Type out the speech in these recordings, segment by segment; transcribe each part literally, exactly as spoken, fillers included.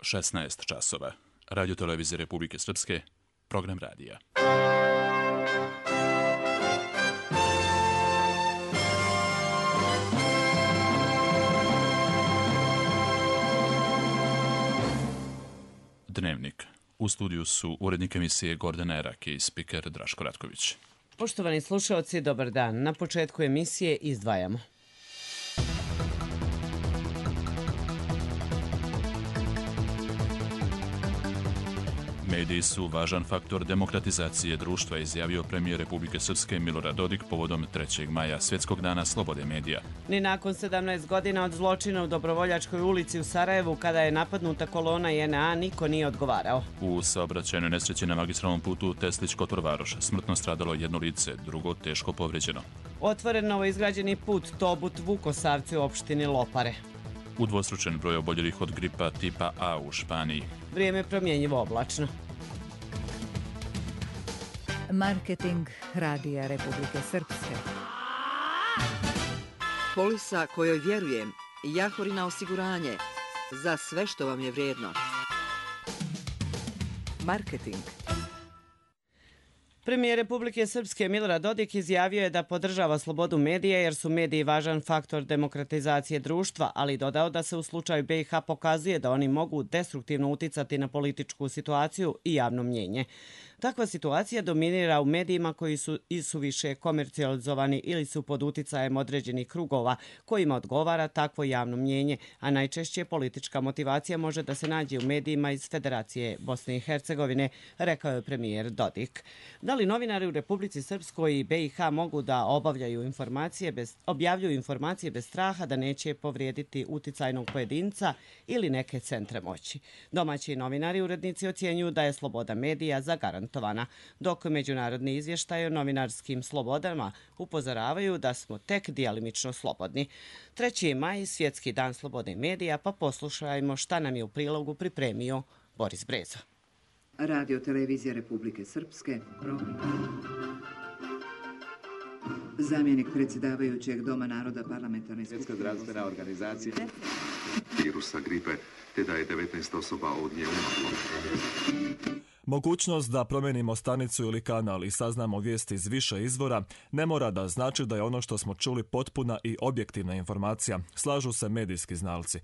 šesnaest časova. Radio televizije Republike Srpske, program radija. Dnevnik. U studiju su urednik emisije Gordana Erak i spiker Draško Ratković. Poštovani slušaoci, dobar dan. Na početku emisije izdvajamo. Mediji su važan faktor demokratizacije društva, izjavio premijer Republike Srpske Milorad Dodik povodom trećeg maja, Svjetskog dana slobode medija. Ni nakon sedamnaest godina od zločina u Dobrovoljačkoj ulici u Sarajevu, kada je napadnuta kolona J N A, niko nije odgovarao. U saobraćajnoj nesreći na magistralnom putu Teslić-Kotor Varoš smrtno stradalo jedno lice, drugo teško povređeno. Otvoren novoizgrađeni put Tobut-Vukosavci u opštini Lopare. Udvostručen broj oboljelih od gripa tipa A u Španiji. Vrijeme promjenjivo oblačno. Marketing Radija Republike Srpske. Polisa kojoj vjerujem. Jahorina osiguranje. Za sve što vam je vrijedno. Marketing. Premijer Republike Srpske Milorad Dodik izjavio je da podržava slobodu medija jer su mediji važan faktor demokratizacije društva, ali dodao da se u slučaju B i H pokazuje da oni mogu destruktivno uticati na političku situaciju i javno mnjenje. Takva situacija dominira u medijima koji su isuviše komercijalizovani ili su pod uticajem određenih krugova kojima odgovara takvo javno mnjenje, a najčešće politička motivacija može da se nađe u medijima iz Federacije Bosne i Hercegovine, rekao je premijer Dodik. Da li novinari u Republici Srpskoj i B i H mogu da obavljaju informacije bez, objavljuju informacije bez straha da neće povrijediti uticajnog pojedinca ili neke centre moći? Domaći novinari urednici ocjenjuju da je sloboda medija zagarantovana, dok međunarodni izvještaj o novinarskim slobodama upozoravaju da smo tek djelimično slobodni. treći maj, Svjetski dan slobode medija, pa poslušajmo šta nam je u prilogu pripremio Boris Brezo. Radio televizija Republike Srpske, program. Zamjenik predsjedavajućeg Doma naroda parlamentarne Svjetska zdravstvena organizacija virusa gripe, te da je devetnaest osoba od nje umrlo. Mogućnost da promijenimo stanicu ili kanal i saznamo vijesti iz više izvora ne mora da znači da je ono što smo čuli potpuna i objektivna informacija, slažu se medijski znalci.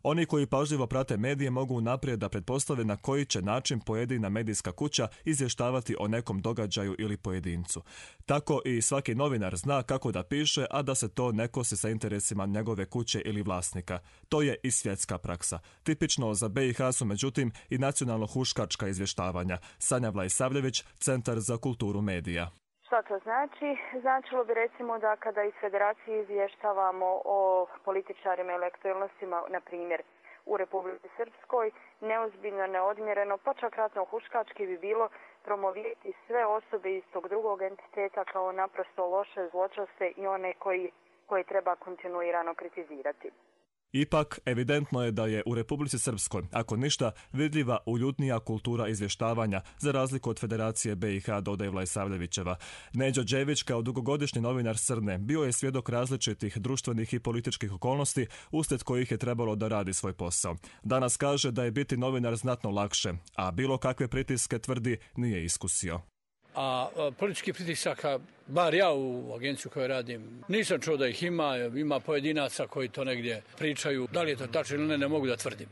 Oni koji pažljivo prate medije mogu naprijed da pretpostave na koji će način pojedina medijska kuća izvještavati o nekom događaju ili pojedincu. Tako i svaki novinar zna kako da piše, a da se to ne kosi sa interesima njegove kuće ili vlasnika. To je i svjetska praksa. Tipično za B i H su međutim i nacionalno-huškačka izvještavanja. Sanja Vlajsavljević, Centar za kulturu medija. Što to znači? Značilo bi recimo da kada iz Federacije izvještavamo o političarima ili aktualnostima, na primjer u Republici Srpskoj, neozbiljno, neodmjereno, pa čak ratno-huškački bi bilo promovirati sve osobe iz tog drugog entiteta kao naprosto loše, zločaste i one koji, koje treba kontinuirano kritizirati. Ipak, evidentno je da je u Republici Srpskoj, ako ništa, vidljiva uljudnija kultura izvještavanja, za razliku od Federacije B i H, dodaje Vlajsavljevićeva. Neđo Đević, kao dugogodišnji novinar Srne, bio je svjedok različitih društvenih i političkih okolnosti, uslijed kojih je trebalo da radi svoj posao. Danas kaže da je biti novinar znatno lakše, a bilo kakve pritiske, tvrdi, nije iskusio. A politički pritisaka, bar ja u agenciju koju radim, nisam čuo da ih ima, ima pojedinaca koji to negdje pričaju. Da li je to tačno ili ne, ne mogu da tvrdim.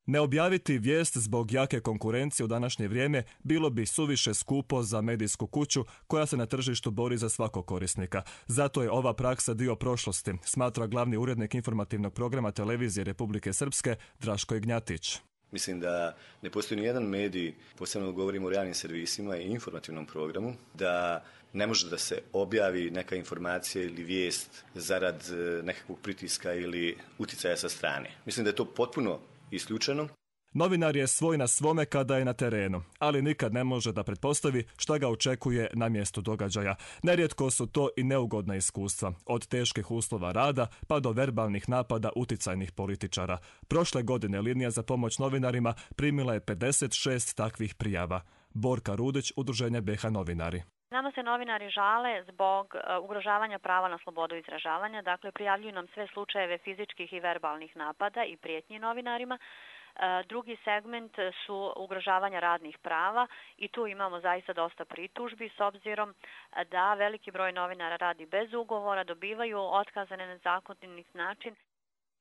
Ne objaviti vijest zbog jake konkurencije u današnje vrijeme bilo bi suviše skupo za medijsku kuću koja se na tržištu bori za svakog korisnika. Zato je ova praksa dio prošlosti, smatra glavni urednik informativnog programa televizije Republike Srpske Draško Ignjatić. Mislim da ne postoji ni jedan medij, posebno govorimo o realnim servisima i informativnom programu, da ne može da se objavi neka informacija ili vijest zarad nekakvog pritiska ili uticaja sa strane. Mislim da je to potpuno isključeno. Novinar je svoj na svome kada je na terenu, ali nikad ne može da pretpostavi šta ga očekuje na mjestu događaja. Nerijetko su to i neugodna iskustva, od teških uslova rada pa do verbalnih napada uticajnih političara. Prošle godine linija za pomoć novinarima primila je pedeset šest takvih prijava. Borka Rudić, Udruženje B H Novinari. Nama se novinari žale zbog uh, ugrožavanja prava na slobodu izražavanja, dakle prijavljuju nam sve slučajeve fizičkih i verbalnih napada i prijetnji novinarima. Drugi segment su ugrožavanja radnih prava i tu imamo zaista dosta pritužbi s obzirom da veliki broj novinara radi bez ugovora, dobivaju otkaze na nezakonit način.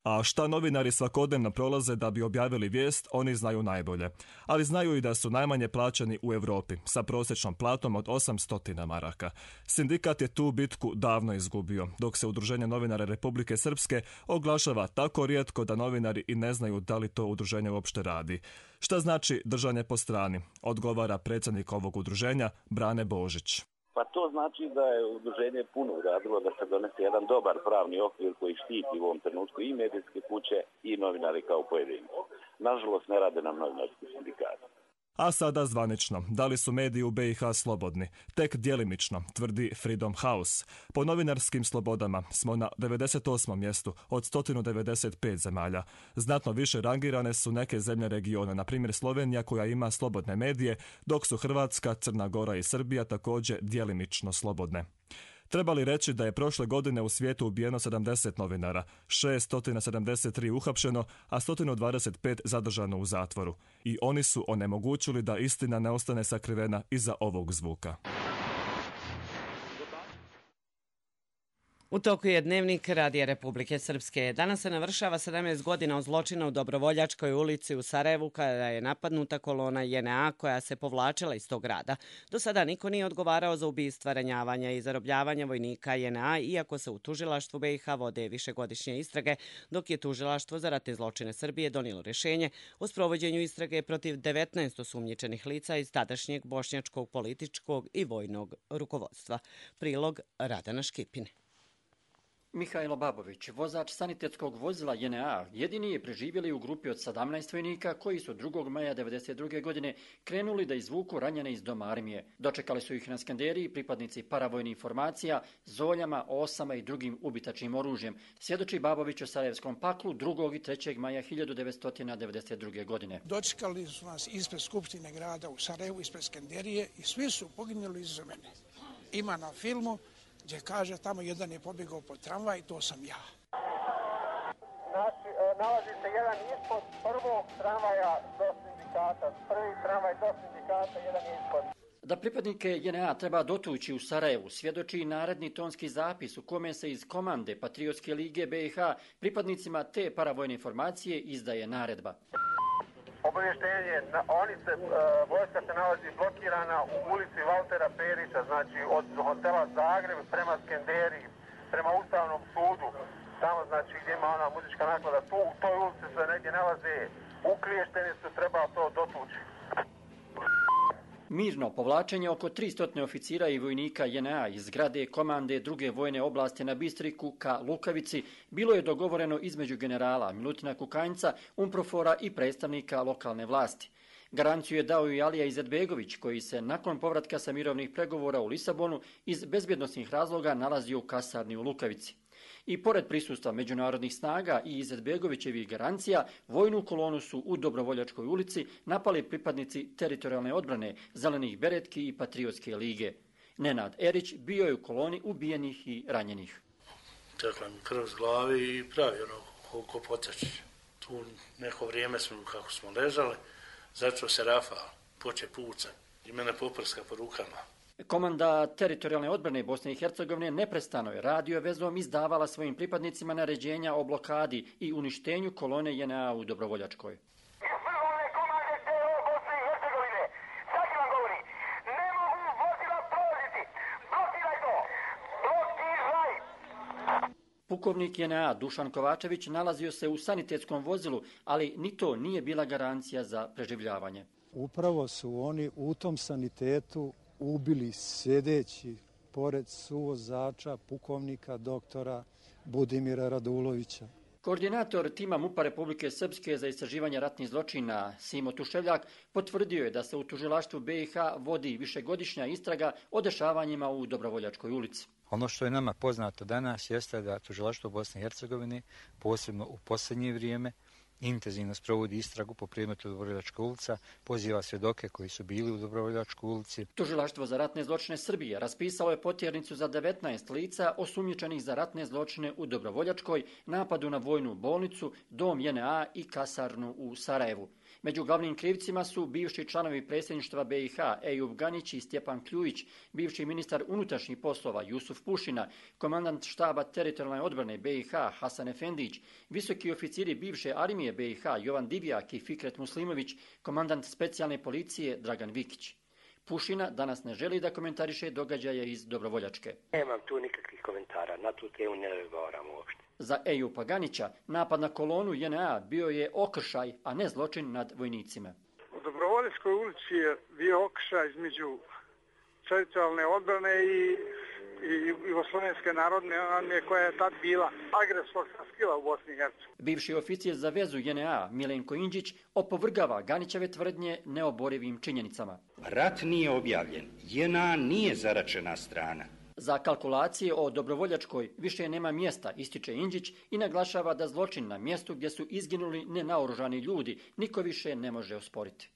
A šta novinari svakodnevno prolaze da bi objavili vijest, oni znaju najbolje. Ali znaju i da su najmanje plaćani u Europi, sa prosječnom platom od osamsto maraka. Sindikat je tu bitku davno izgubio, dok se Udruženje novinara Republike Srpske oglašava tako rijetko da novinari i ne znaju da li to udruženje uopšte radi. Šta znači držanje po strani? Odgovara predsjednik ovog udruženja, Brane Božić. Pa to znači da je udruženje puno uradilo da se donese jedan dobar pravni okvir koji štiti u ovom trenutku i medijske kuće i novinari kao pojedinci. Nažalost, ne rade nam novinarski sindikati. A sada zvanično, da li su mediji u B i H slobodni? Tek djelimično, tvrdi Freedom House. Po novinarskim slobodama smo na devedeset osmom mjestu od sto devedeset pet zemalja. Znatno više rangirane su neke zemlje regiona, na primjer Slovenija koja ima slobodne medije, dok su Hrvatska, Crna Gora i Srbija također djelimično slobodne. Treba li reći da je prošle godine u svijetu ubijeno sedamdeset novinara, šesto sedamdeset tri uhapšeno, a sto dvadeset pet zadržano u zatvoru. I oni su onemogućili da istina ne ostane sakrivena iza ovog zvuka. U toku je dnevnik Radija Republike Srpske. Danas se navršava sedamnaest godina od zločina u Dobrovoljačkoj ulici u Sarajevu kada je napadnuta kolona J N A koja se povlačila iz tog grada. Do sada niko nije odgovarao za ubistva, ranjavanja i zarobljavanja vojnika J N A, iako se u tužilaštvu B i H vode višegodišnje istrage, dok je tužilaštvo za ratne zločine Srbije donijelo rješenje o sprovođenju istrage protiv devetnaest osumnjičenih lica iz tadašnjeg bošnjačkog političkog i vojnog rukovodstva. Prilog Radana Škipine. Mihajlo Babović, vozač sanitetskog vozila J N A, jedini je preživjeli u grupi od sedamnaest vojnika koji su drugog maja devedeset druge godine krenuli da izvuku ranjene iz doma armije. Dočekali su ih na Skanderiji pripadnici paravojnih formacija, zoljama, osama i drugim ubitačnim oružjem, svjedoči Babović o Sarajevskom paklu drugog i trećeg maja hiljadu devetsto devedeset druge godine. Dočekali su nas ispred Skupštine grada u Sarajevu, ispred Skanderije i svi su poginuli iza mene. Ima na filmu gdje kaže tamo jedan je pobjegao po tramvaj i to sam ja. Znači, nalazi se jedan ispod prvog tramvaja do sindikata, prvi tramvaj do sindikata, jedan je ispod. Da pripadnike J N A treba dotući u Sarajevu svjedoči i naredni tonski zapis u kome se iz komande Patriotske lige B i H pripadnicima te paravojne formacije izdaje naredba. Obavještenje, oni se, vojska se nalazi blokirana u ulici Valtera Perića, znači od hotela Zagreb prema Skenderiji, prema Ustavnom sudu, tamo znači gdje ima ona muzička naklada, tu u toj ulici se negdje nalaze, ukliješteni su, treba to dotući. Mirno povlačenje oko tristo oficira i vojnika J N A iz zgrade komande druge vojne oblasti na Bistriku ka Lukavici bilo je dogovoreno između generala Milutina Kukanjca, Umprofora i predstavnika lokalne vlasti. Garanciju je dao i Alija Izetbegović, koji se nakon povratka sa mirovnih pregovora u Lisabonu iz bezbjednosnih razloga nalazio u kasarni u Lukavici. I pored prisustva međunarodnih snaga i Izetbegovićevih garancija, vojnu kolonu su u Dobrovoljačkoj ulici napali pripadnici teritorijalne odbrane, Zelenih beretki i Patriotske lige. Nenad Erić bio je u koloni ubijenih i ranjenih. Tekla mi krv s glavi i pravi ono koliko poteče. Tu neko vrijeme smo, kako smo ležali, začeo se rafal, poče puca i mene poprska po rukama. Komanda teritorijalne odbrane Bosne i Hercegovine neprestano je radio vezom izdavala svojim pripadnicima naređenja o blokadi i uništenju kolone J N A u Dobrovoljačkoj. Pukovnik J N A Dušan Kovačević nalazio se u sanitetskom vozilu, ali ni to nije bila garancija za preživljavanje. Upravo su oni u tom sanitetu ubili sjedeći pored suvozača, pukovnika doktora Budimira Radulovića. Koordinator tima MUP-a Republike Srpske za istraživanje ratnih zločina Simo Tuševljak potvrdio je da se u tužilaštvu B i H vodi višegodišnja istraga o dešavanjima u Dobrovoljačkoj ulici. Ono što je nama poznato danas jeste da tužilaštvo Bosne i Hercegovine, posebno u posljednje vrijeme, intenzivno sprovodi istragu po predmetu Dobrovoljačka ulica, poziva svjedoke koji su bili u Dobrovoljačkoj ulici. Tužilaštvo za ratne zločine Srbije raspisalo je potjernicu za devetnaest lica osumnjičenih za ratne zločine u Dobrovoljačkoj, napadu na vojnu bolnicu, dom J N A i kasarnu u Sarajevu. Među glavnim krivcima su bivši članovi predsjedništva B i H Ejub Ganić i Stjepan Kljujić, bivši ministar unutrašnjih poslova Jusuf Pušina, komandant štaba teritorijalne odbrane B i H Hasan Efendić, visoki oficiri bivše armije B i H Jovan Divjak i Fikret Muslimović, komandant specijalne policije Dragan Vikić. Pušina danas ne želi da komentariše događaje iz Dobrovoljačke. Nemam tu nikakvih komentara, na tu temu ne razgovaram uopšte. Za Ejupa Ganića napad na kolonu J N A bio je okršaj, a ne zločin nad vojnicima. U Dobrovoljačkoj ulici je bio okršaj između teritorijalne odbrane i, i Jugoslovenske narodne armije koja je tad bila agresorska sila u Bosni i Hercegovini. Bivši oficir za vezu J N A Milenko Indžić opovrgava Ganićeve tvrdnje neoborivim činjenicama. Rat nije objavljen, J N A nije zaračena strana. Za kalkulacije o Dobrovoljačkoj više nema mjesta, ističe Indžić i naglašava da zločin na mjestu gdje su izginuli nenaoružani ljudi niko više ne može osporiti.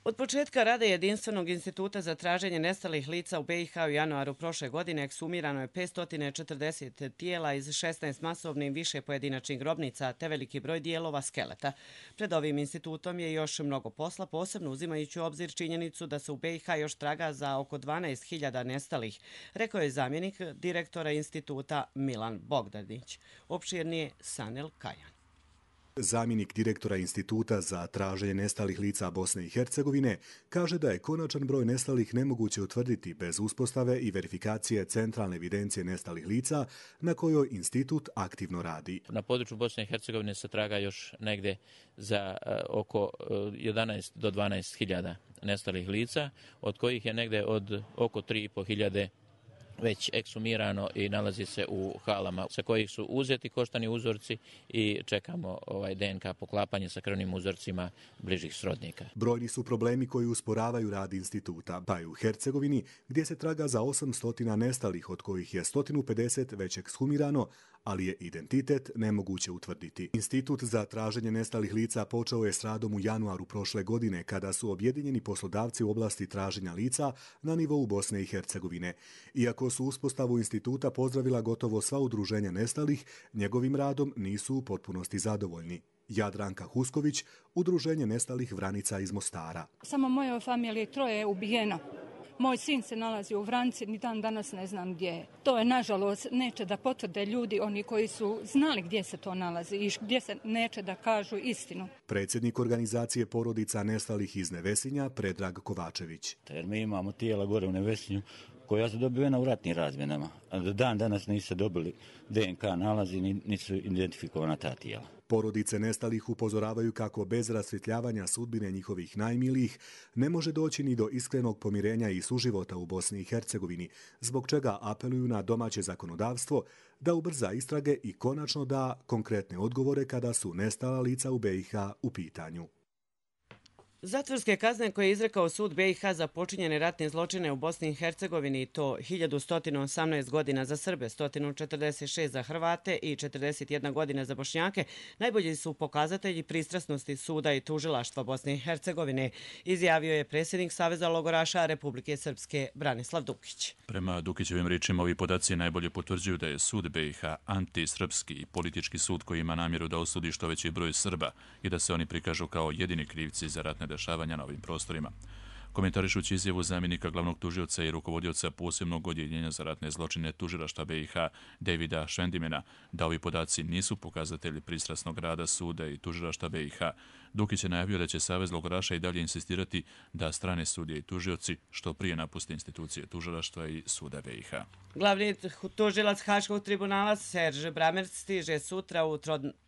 Od početka rada Jedinstvenog instituta za traženje nestalih lica u B i H u januaru prošle godine eksumirano je petsto četrdeset tijela iz šesnaest masovnih i više pojedinačnih grobnica te veliki broj dijelova skeleta. Pred ovim institutom je još mnogo posla, posebno uzimajući u obzir činjenicu da se u B i H još traga za oko dvanaest hiljada nestalih, rekao je zamjenik direktora instituta Milan Bogdanić. Opširnije Sanel Kajan. Zamjenik direktora Instituta za traženje nestalih lica Bosne i Hercegovine kaže da je konačan broj nestalih nemoguće utvrditi bez uspostave i verifikacije centralne evidencije nestalih lica na kojoj institut aktivno radi. Na području Bosne i Hercegovine se traga još negdje za uh, oko uh, jedanaest do dvanaest hiljada nestalih lica, od kojih je negdje od oko tri i po hiljade već eksumirano i nalazi se u halama sa kojih su uzeti koštani uzorci i čekamo ovaj D N K poklapanje sa krvnim uzorcima bližih srodnika. Brojni su problemi koji usporavaju rad instituta, pa i u Hercegovini gdje se traga za osamsto nestalih, od kojih je sto pedeset već ekshumirano, ali je identitet nemoguće utvrditi. Institut za traženje nestalih lica počeo je s radom u januaru prošle godine kada su objedinjeni poslodavci u oblasti traženja lica na nivou Bosne i Hercegovine. Iako su uspostavu instituta pozdravila gotovo sva udruženja nestalih, njegovim radom nisu u potpunosti zadovoljni. Jadranka Husković, udruženje nestalih Vranica iz Mostara. Samo mojoj familiji troje je ubijeno. Moj sin se nalazi u Vranici, ni dan danas ne znam gdje je. To je, nažalost, neće da potvrde ljudi, oni koji su znali gdje se to nalazi i gdje se neće da kažu istinu. Predsjednik organizacije porodica nestalih iz Nevesinja, Predrag Kovačević. Jer mi imamo tijela gore u Nevesinju koja su dobivena u ratnim razmjenama. A do dan danas nisu dobili D N K nalazi, nisu identifikovana ta tijela. Porodice nestalih upozoravaju kako bez rasvjetljavanja sudbine njihovih najmilijih ne može doći ni do iskrenog pomirenja i suživota u Bosni i Hercegovini, zbog čega apeluju na domaće zakonodavstvo da ubrza istrage i konačno da konkretne odgovore kada su nestala lica u B i H u pitanju. Zatvorske kazne koje je izrekao sud B i H za počinjene ratne zločine u Bosni i Hercegovini, to hiljadu sto osamnaest godina za Srbe, sto četrdeset šest za Hrvate i četrdeset jedna godina za Bošnjake, najbolji su pokazatelji pristrasnosti suda i tužilaštva Bosne i Hercegovine, izjavio je predsjednik Saveza logoraša Republike Srpske Branislav Dukić. Prema Dukićevim riječima, ovi podaci najbolje potvrđuju da je sud B i H antisrpski i politički sud koji ima namjeru da osudi što veći broj Srba i da se oni prikažu kao jedini krivci za ratne dešavanja na ovim prostorima. Komentarišući izjavu zamjenika glavnog tužioca i rukovodioca posebnog odjeljenja za ratne zločine tužilaštva B i H Davida Švendimena, da ovi podaci nisu pokazatelji pristrasnog rada suda i tužilaštva B i H, Dukić je najavio da će Savez logoraša i dalje insistirati da strane sudije i tužioci što prije napuste institucije tužilaštva i suda B i H. Glavni tužilac Haškog tribunala Serž Bramerc stiže sutra u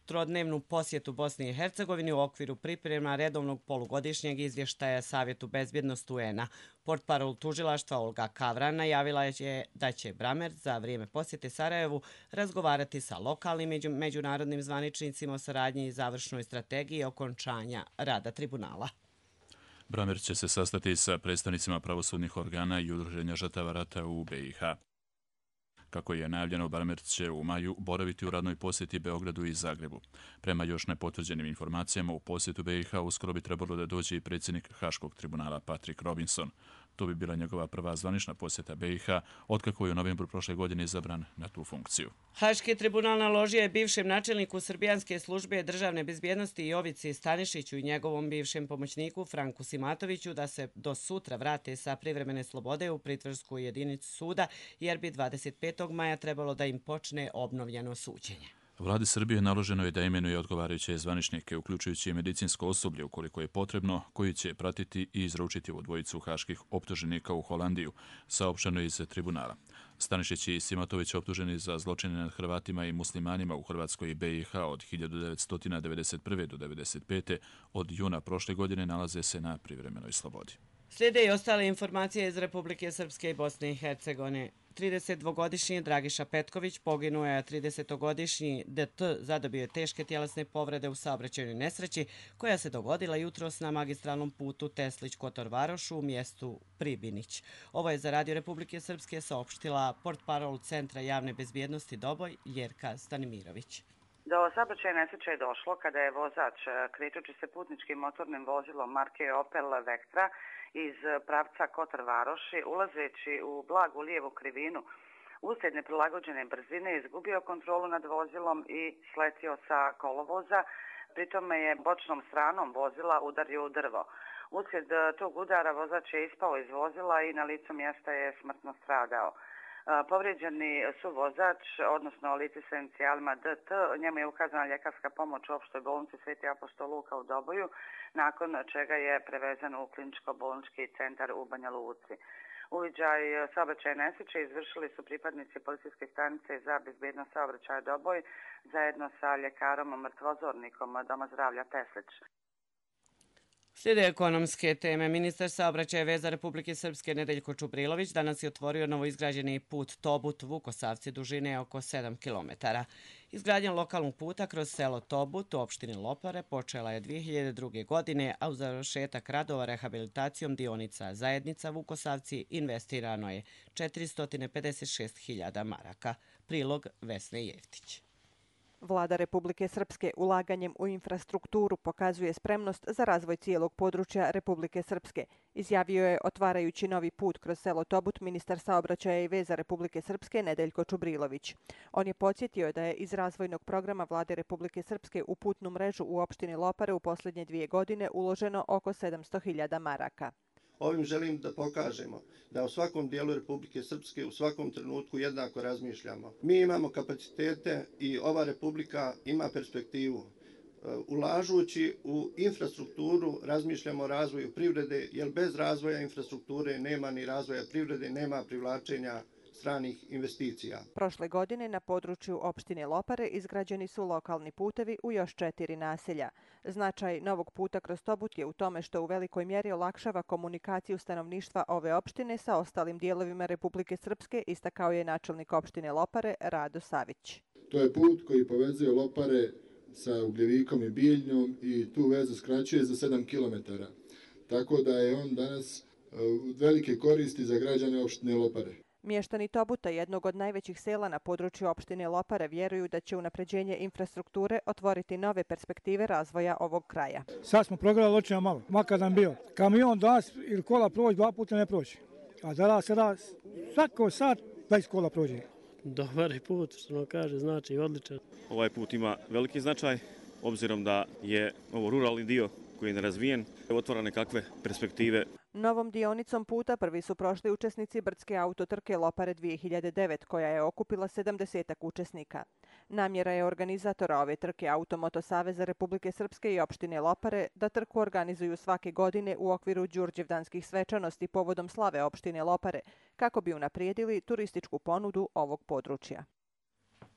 trodnevnu posjetu Bosni i Hercegovini u okviru priprema redovnog polugodišnjeg izvještaja Savjetu bezbjednosti U N A. Portparol tužilaštva Olga Kavran najavila je da će Bramerc za vrijeme posjete Sarajevu razgovarati sa lokalnim i međunarodnim zvaničnicima o saradnji i završnoj strategiji okončanja rada tribunala. Bramerc će se sastati sa predstavnicima pravosudnih organa i udruženja žrtava rata u B i H. Kako je najavljeno, Baramerc će u maju boraviti u radnoj posjeti Beogradu i Zagrebu. Prema još nepotvrđenim informacijama, u posjetu B i H uskoro bi trebalo da dođe i predsjednik Haškog tribunala Patrick Robinson. To bi bila njegova prva zvanična posjeta B i H, otkako je u novembru prošle godine izabran na tu funkciju. Haški tribunal naložio je bivšem načelniku Srbijanske službe državne bezbjednosti Jovici Stanišiću i njegovom bivšem pomoćniku Franku Simatoviću da se do sutra vrate sa privremene slobode u pritvorsku jedinicu suda, jer bi dvadeset petog maja trebalo da im počne obnovljeno suđenje. Vladi Srbije naloženo je da imenuje odgovarajuće zvaničnike, uključujući i medicinsko osoblje ukoliko je potrebno, koji će pratiti i izručiti ovu dvojicu haških optuženika u Holandiju, saopšteno je iz tribunala. Stanišić i Simatović, optuženi za zločine nad Hrvatima i muslimanima u Hrvatskoj i B i H od hiljadu devetsto devedeset prve do devedeset pete od juna prošle godine, nalaze se na privremenoj slobodi. Slijede i ostale informacije iz Republike Srpske i Bosne i Hercegovine. tridesetdvogodišnji Dragiša Petković poginuo je, a tridesetogodišnji D T zadobio je teške tjelesne povrede u saobraćajnoj nesreći koja se dogodila jutros na magistralnom putu Teslić-Kotor Varoš u mjestu Pribinić. Ovo je za Radio Republike Srpske saopštila portparol Centra javne bezbjednosti Doboj Jerka Stanimirović. Do saobraćajne nesreće je došlo kada je vozač, krećući se putničkim motornim vozilom marke Opel Vectra iz pravca Kotor Varoši, ulazeći u blagu lijevu krivinu, uslijed neprilagođene brzine izgubio kontrolu nad vozilom i sletio sa kolovoza, pri tome je bočnom stranom vozila udario u drvo. Uslijed tog udara vozač je ispao iz vozila i na licu mjesta je smrtno stradao. Povrijeđeni su vozač, odnosno lice sa inicijalima D T, njemu je ukazana ljekarska pomoć u opštoj bolnici Sveti apostol Luka u Doboju, nakon čega je prevezen u kliničko-bolnički centar u Banja Luci. Uviđaj saobraćaja nesreće izvršili su pripadnici policijske stanice za bezbjednost saobraćaja Doboj zajedno sa ljekarom mrtvozornikom Doma zdravlja Teslić. Slijede ekonomske teme. Ministar saobraćaja i veza Republike Srpske Nedeljko Čubrilović danas je otvorio novoizgrađeni put Tobut Vukosavci dužine oko sedam kilometara. Izgradnja lokalnog puta kroz selo Tobut u opštini Lopare počela je dvije hiljade druge. godine, a u završetak radova rehabilitacijom dionica Zajednica Vukosavci investirano je četiristo pedeset šest hiljada maraka. Prilog Vesne Jeftić. Vlada Republike Srpske ulaganjem u infrastrukturu pokazuje spremnost za razvoj cijelog područja Republike Srpske, izjavio je otvarajući novi put kroz selo Tobut ministar saobraćaja i veza Republike Srpske Nedeljko Čubrilović. On je podsjetio da je iz razvojnog programa Vlade Republike Srpske u putnu mrežu u opštini Lopare u posljednje dvije godine uloženo oko sedamsto hiljada maraka. Ovim želim da pokažemo da u svakom dijelu Republike Srpske u svakom trenutku jednako razmišljamo. Mi imamo kapacitete i ova Republika ima perspektivu. Ulažući u infrastrukturu razmišljamo o razvoju privrede, jer bez razvoja infrastrukture nema ni razvoja privrede, nema privlačenja stranih investicija. Prošle godine na području opštine Lopare izgrađeni su lokalni putevi u još četiri naselja. Značaj novog puta kroz Tobut je u tome što u velikoj mjeri olakšava komunikaciju stanovništva ove opštine sa ostalim dijelovima Republike Srpske, istakao je načelnik opštine Lopare Rado Savić. To je put koji povezuje Lopare sa Ugljevikom i Bijeljnjom i tu vezu skraćuje za sedam kilometara. Tako da je on danas velike koristi za građane opštine Lopare. Mještani Tobuta, jednog od najvećih sela na području opštine Lopare, vjeruju da će unapređenje infrastrukture otvoriti nove perspektive razvoja ovog kraja. Sad smo progledali očima malo, makar nam bio. Kamion danas ili kola prođe, dva puta ne prođe. A danas sada svako sat dvadeset kola prođe. Dobar je put, što nam kaže, znači odličan. Ovaj put ima veliki značaj, obzirom da je ovo ruralni dio koji je nerazvijen, otvara nekakve perspektive. Novom dionicom puta prvi su prošli učesnici brdske autotrke Lopare dvije hiljade devet, koja je okupila sedamdesetak učesnika. Namjera je organizatora ove trke Automoto Saveza Republike Srpske i opštine Lopare da trku organizuju svake godine u okviru đurđevdanskih svečanosti povodom slave opštine Lopare, kako bi unaprijedili turističku ponudu ovog područja.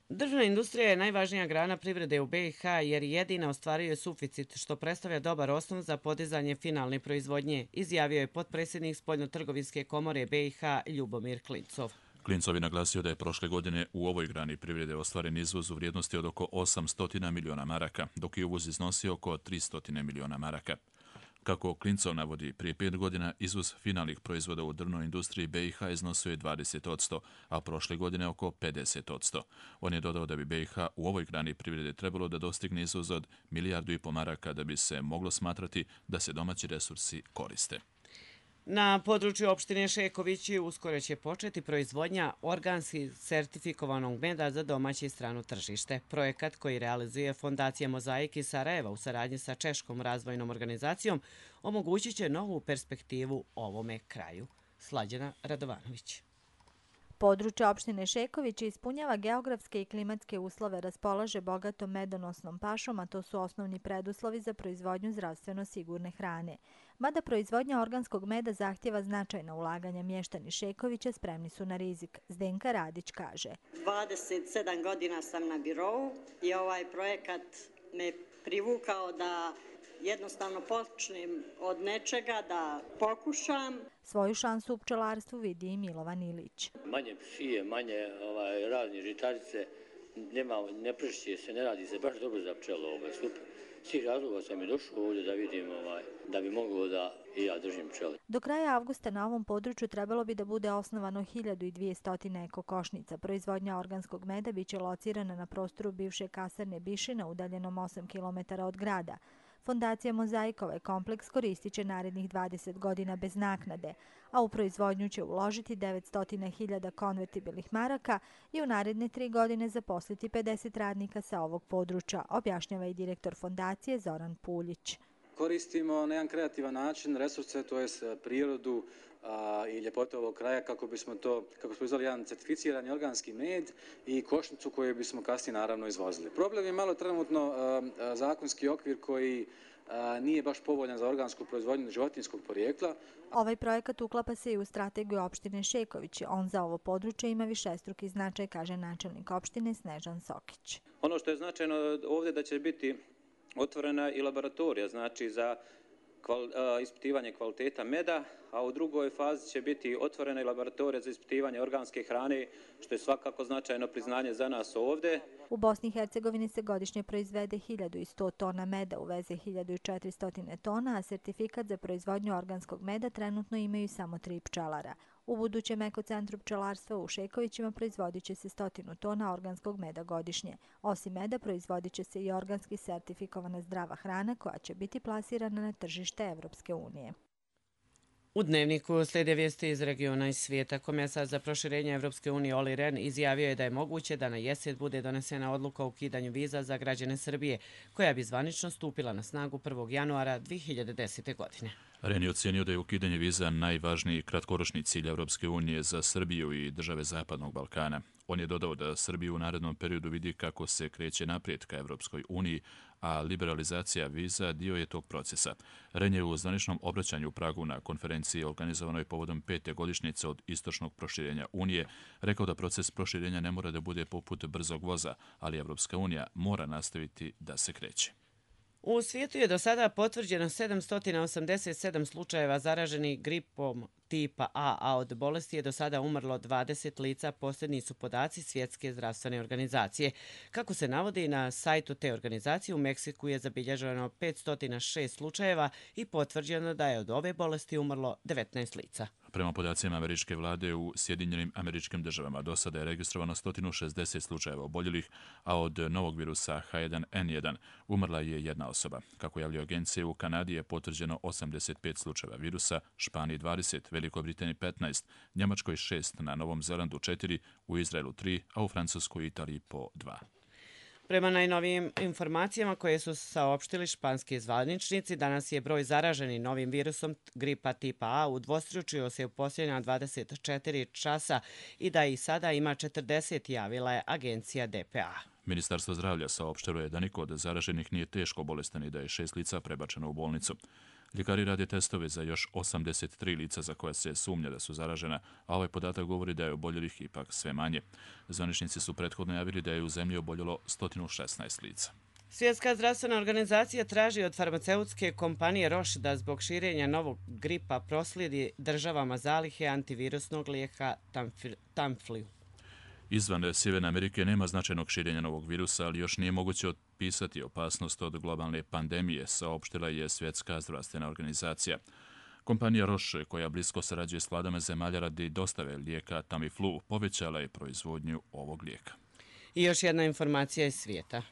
Drvna industrija je najvažnija grana privrede u B i H jer jedina ostvaruje suficit, što predstavlja dobar osnov za podizanje finalne proizvodnje, izjavio je potpredsjednik Spoljnotrgovinske komore B i H Ljubomir Klincov. Klincov je naglasio da je prošle godine u ovoj grani privrede ostvaren izvoz u vrijednosti od oko osamsto miliona maraka, dok je uvoz iznosio oko tristo miliona maraka. Kako Klincov navodi, prije pet godina izvoz finalnih proizvoda u drvnoj industriji B i H iznosio je dvadeset odsto, a prošle godine oko pedeset odsto. On je dodao da bi B i H u ovoj grani privrede trebalo da dostigne izvoz od milijardu i po maraka da bi se moglo smatrati da se domaći resursi koriste. Na području opštine Šekovići uskoro će početi proizvodnja organski sertifikovanog meda za domaće i strano tržište. Projekat koji realizuje Fondacija Mozaik iz Sarajeva u saradnji sa Češkom razvojnom organizacijom omogućit će novu perspektivu ovome kraju. Slađana Radovanović. Područje opštine Šekovići ispunjava geografske i klimatske uslove, raspolaže bogatom medonosnom pašom, a to su osnovni preduslovi za proizvodnju zdravstveno sigurne hrane. Mada proizvodnja organskog meda zahtjeva značajna ulaganja, mještani Šekovića spremni su na rizik. Zdenka Radić kaže: dvadeset sedam godina sam na birovu i ovaj projekat me privukao da jednostavno počnem od nečega, da pokušam. Svoju šansu u pčelarstvu vidi i Milovan Ilić. Manje pšije, manje ovaj, razne žitarice, nema, ne pršće se, ne radi se baš dobro za pčelo, ovaj, super. Svih razloga sam i došao ovdje da vidim ovaj, da bi mogao da i ja držim pčele. Do kraja avgusta na ovom području trebalo bi da bude osnovano hiljadu dvjesto eko košnica. Proizvodnja organskog meda biće locirana na prostoru bivše kasarne Bišina, udaljenom osam kilometara od grada. Fondacija Mozaik ovaj kompleks koristit će narednih dvadeset godina bez naknade, a u proizvodnju će uložiti devetsto hiljada konvertibilnih maraka i u naredne tri godine zaposliti pedeset radnika sa ovog područja, objašnjava i direktor fondacije Zoran Puljić. Koristimo na jedan kreativan način resurse, to je prirodu a, i ljepotu ovog kraja kako bismo to, kako smo izvali jedan certificirani organski med i košnicu koju bismo kasnije naravno izvozili. Problem je malo trenutno a, a, zakonski okvir koji a, nije baš povoljan za organsku proizvodnju životinjskog porijekla. Ovaj projekat uklapa se i u strategiju opštine Šekovići. On za ovo područje ima višestruki značaj, kaže načelnik opštine Snežan Sokić. Ono što je značajno ovdje da će biti otvorena i laboratorija, znači za kval, a, ispitivanje kvaliteta meda, a u drugoj fazi će biti otvorena i laboratorija za ispitivanje organske hrane, što je svakako značajno priznanje za nas ovdje. U Bosni i Hercegovini se godišnje proizvede hiljadu sto tona meda, uveze hiljadu četiristo tona, a sertifikat za proizvodnju organskog meda trenutno imaju samo tri pčelara. U budućem ekocentru pčelarstva u Šekovićima proizvodit će se stotinu tona organskog meda godišnje. Osim meda proizvodit će se i organski sertifikovana zdrava hrana koja će biti plasirana na tržište Evropske unije. U Dnevniku slijede vijesti iz regiona i svijeta. Komesar za proširenje Evropske unije Olli Rehn izjavio je da je moguće da na jesen bude donesena odluka o ukidanju viza za građane Srbije, koja bi zvanično stupila na snagu prvog januara dvije hiljade desete. godine. Rehn je ocenio da je ukidanje viza najvažniji kratkoročni cilj Evropske unije za Srbiju i države Zapadnog Balkana. On je dodao da Srbiju u narednom periodu vidi kako se kreće naprijed ka Evropskoj uniji, a liberalizacija viza dio je tog procesa. Rehn je u zvaničnom obraćanju u Pragu na konferenciji organizovanoj povodom pete godišnjice od istočnog proširenja Unije rekao da proces proširenja ne mora da bude poput brzog voza, ali Evropska unija mora nastaviti da se kreće. U svijetu je do sada potvrđeno sedamsto osamdeset sedam slučajeva zaraženih gripom tipa A, a od bolesti je do sada umrlo dvadeset lica, posljednji su podaci Svjetske zdravstvene organizacije. Kako se navodi na sajtu te organizacije, u Meksiku je zabilježeno petsto šest slučajeva i potvrđeno da je od ove bolesti umrlo devetnaest lica. Prema podacima američke vlade u Sjedinjenim Američkim Državama do sada je registrovano sto šezdeset slučajeva oboljelih, a od novog virusa H jedan N jedan umrla je jedna osoba. Kako javljaju agencije, u Kanadi je potvrđeno osamdeset pet slučajeva virusa, Španiji dvadeset, Velikoj Britaniji petnaest, Njemačkoj šest, na Novom Zelandu četiri, u Izraelu tri, a u Francuskoj i Italiji po dva. Prema najnovijim informacijama koje su saopštili španski zvaničnici, danas je broj zaraženih novim virusom gripa tipa A udvostručio se u posljednja dvadeset četiri časa i da i sada ima četrdeset, javila je agencija D P A. Ministarstvo zdravlja saopštilo je da niko od zaraženih nije teško bolestan i da je šest lica prebačeno u bolnicu. Ljekari rade testove za još osamdeset tri lica za koja se sumnja da su zaražena, a ovaj podatak govori da je oboljelih ipak sve manje. Zvaničnici su prethodno javili da je u zemlji oboljelo sto šesnaest lica. Svjetska zdravstvena organizacija traži od farmaceutske kompanije Roche da zbog širenja novog gripa proslijedi državama zalihe antivirusnog lijeka Tamiflu. Izvan Sjeverne Amerike nema značajnog širenja novog virusa, ali još nije moguće otpisati opasnost od globalne pandemije, saopštila je Svjetska zdravstvena organizacija. Kompanija Roche, koja blisko sarađuje s vladama zemalja radi dostave lijeka Tamiflu, povećala je proizvodnju ovog lijeka. I još jedna informacija iz svijeta.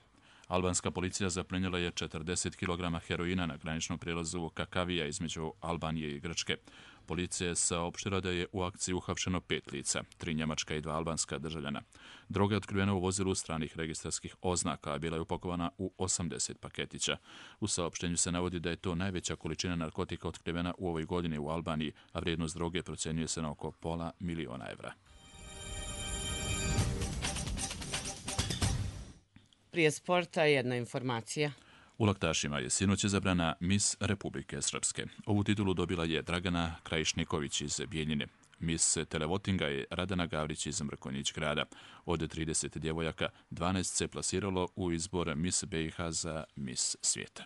Albanska policija zaplenila je četrdeset kilograma heroina na graničnom prijelazu Kakavija između Albanije i Grčke. Policija je saopštila da je u akciji uhapšeno pet lica, tri njemačka i dva albanska državljana. Droga je otkrivena u vozilu stranih registarskih oznaka, a bila je upakovana u osamdeset paketića. U saopštenju se navodi da je to najveća količina narkotika otkrivena u ovoj godini u Albaniji, a vrijednost droge procjenjuje se na oko pola miliona evra. Prije sporta jedna informacija. U laktašima je sinoć izabrana Miss Republike Srpske. Ovu titulu dobila je Dragana Krajišniković iz Bijeljine. Miss Televotinga je Radana Gavrić iz Mrkonjić grada. Od trideset djevojaka, dvanaest se plasiralo u izbor Miss B i H za Miss svijeta.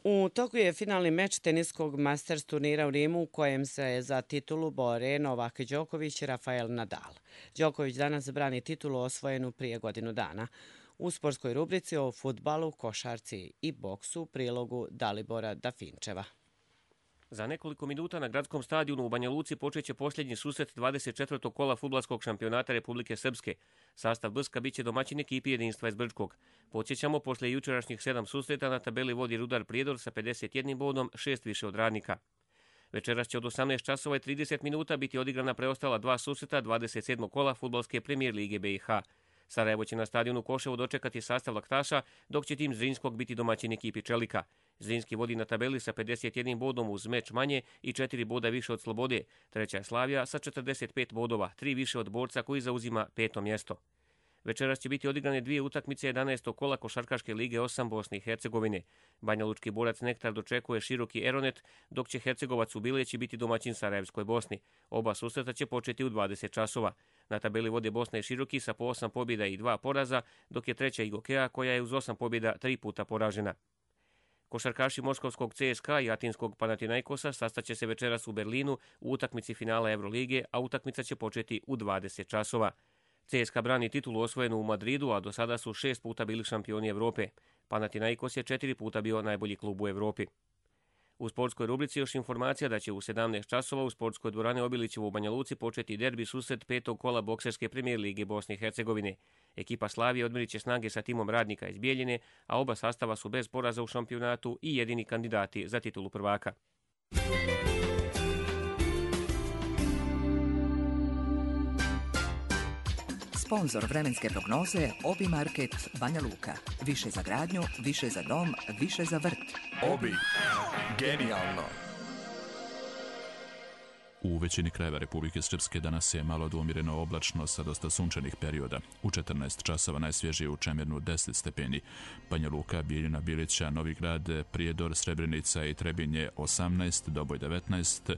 U toku je finalni meč teniskog Masters turnira u Rimu u kojem se za titulu bore Novak Đoković i Rafael Nadal. Đoković danas brani titulu osvojenu prije godinu dana. U sportskoj rubrici o fudbalu, košarci i boksu u prilogu Dalibora Dafinčeva. Za nekoliko minuta na gradskom stadionu u Banja Luci počeće posljednji susret dvadeset četvrtog kola fudbalskog šampionata Republike Srpske. Sastav B S K biće domaćin ekipi Jedinstva iz Brčkog. Podsjećamo, poslije jučerašnjih sedam susreta na tabeli vodi Rudar Prijedor sa pedeset jednim bodom, šest više od Radnika. Večeras će od osamnaest časova i trideset minuta biti odigrana preostala dva susreta dvadeset sedmog kola fudbalske premijer lige B i H. Sarajevo će na stadionu Koševo dočekati sastav laktaša, dok će tim Zrinskog biti domaćin ekipi Čelika. Zrinski vodi na tabeli sa pedeset jednim bodom uz meč manje i četiri boda više od Slobode. Treća je Slavija sa četrdeset pet bodova, tri više od Borca koji zauzima peto mjesto. Večeras će biti odigrane dvije utakmice jedanaestog kola košarkaške lige osam Bosne i Hercegovine. Banjalučki Borac Nektar dočekuje Široki Eronet, dok će Hercegovac u Bileći biti domaćin Sarajevskoj Bosni. Oba susreta će početi u dvadeset časova. Na tabeli vode Bosna i Široki sa po osam pobjeda i dva poraza, dok je treća Igokea koja je uz osam pobjeda tri puta poražena. Košarkaši moskovskog C S K A i atinskog Panathinaikosa sastaće se večeras u Berlinu u utakmici finala Evrolige, a utakmica će početi u dvadeset časova. C S K A brani titulu osvojenu u Madridu, a do sada su šest puta bili šampioni Evrope. Panathinaikos je četiri puta bio najbolji klub u Evropi. U sportskoj rubrici još informacija da će u sedamnaest časova u sportskoj dvorani Obilićevo u Banja Luci početi derbi susret petog kola bokserske premijer lige Bosne i Hercegovine. Ekipa Slavije odmerit će snage sa timom Radnika iz Bijeljine, a oba sastava su bez poraza u šampionatu i jedini kandidati za titulu prvaka. Sponzor vremenske prognoze Obi Market Banja Luka. Više za gradnju, više za dom, više za vrt. Obi. Genijalno. U većini krajeva Republike Srpske danas je malo dvomireno oblačno sa dosta sunčanih perioda. U četrnaest časova najsvježije u Čemirnu deset stepeni. Banja Luka, Bijeljina, Bilića, Novi Grad, Prijedor, Srebrenica i Trebinje osamnaest, Doboj devetnaest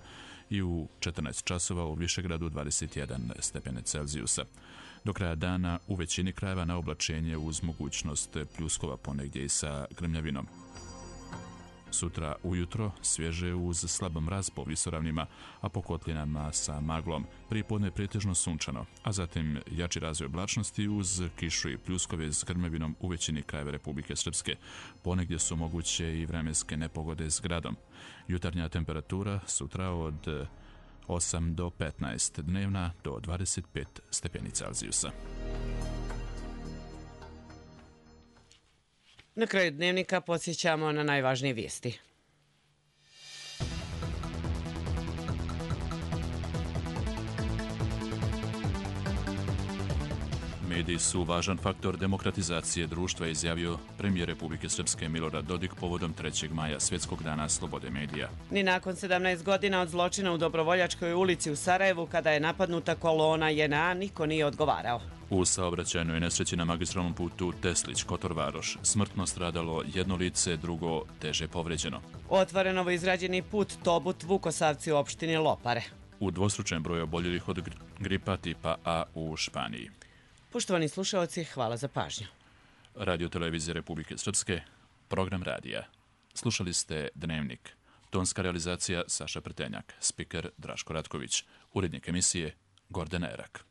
i u četrnaest časova u Višegradu dvadeset jedan stepene Celzijusa. Do kraja dana u većini krajeva na oblačenje uz mogućnost pljuskova ponegdje i sa grmljavinom. Sutra ujutro svježe uz slab mraz po visoravnima, a po kotlinama sa maglom. Prijepodne pretežno sunčano, a zatim jači razvoj oblačnosti uz kišu i pljuskove s grmljavinom u većini krajeva Republike Srpske. Ponegdje su moguće i vremenske nepogode s gradom. Jutarnja temperatura sutra od osam do petnaest, dnevna do dvadeset pet stepeni Celzijusa. Na kraju dnevnika podsjećamo na najvažnije vijesti. Mediji su važan faktor demokratizacije društva, izjavio premijer Republike Srpske Milorad Dodik povodom trećeg maja, Svjetskog dana slobode medija. Ni nakon sedamnaest godina od zločina u Dobrovoljačkoj ulici u Sarajevu, kada je napadnuta kolona J N A, niko nije odgovarao. U saobraćajnoj nesreći na magistralnom putu Teslić-Kotor Varoš smrtno stradalo jedno lice, drugo teže povređeno. Otvoren novo izrađeni put Tobut-Vukosavci u opštini Lopare. U dvostručen broj oboljelih od gripa tipa A u Španiji. Poštovani slušalci, hvala za pažnju. Radio Televizije Republike Srpske, program radija. Slušali ste Dnevnik. Tonska realizacija Saša Prtenjak, spiker Draško Ratković, urednik emisije Gordana Erak.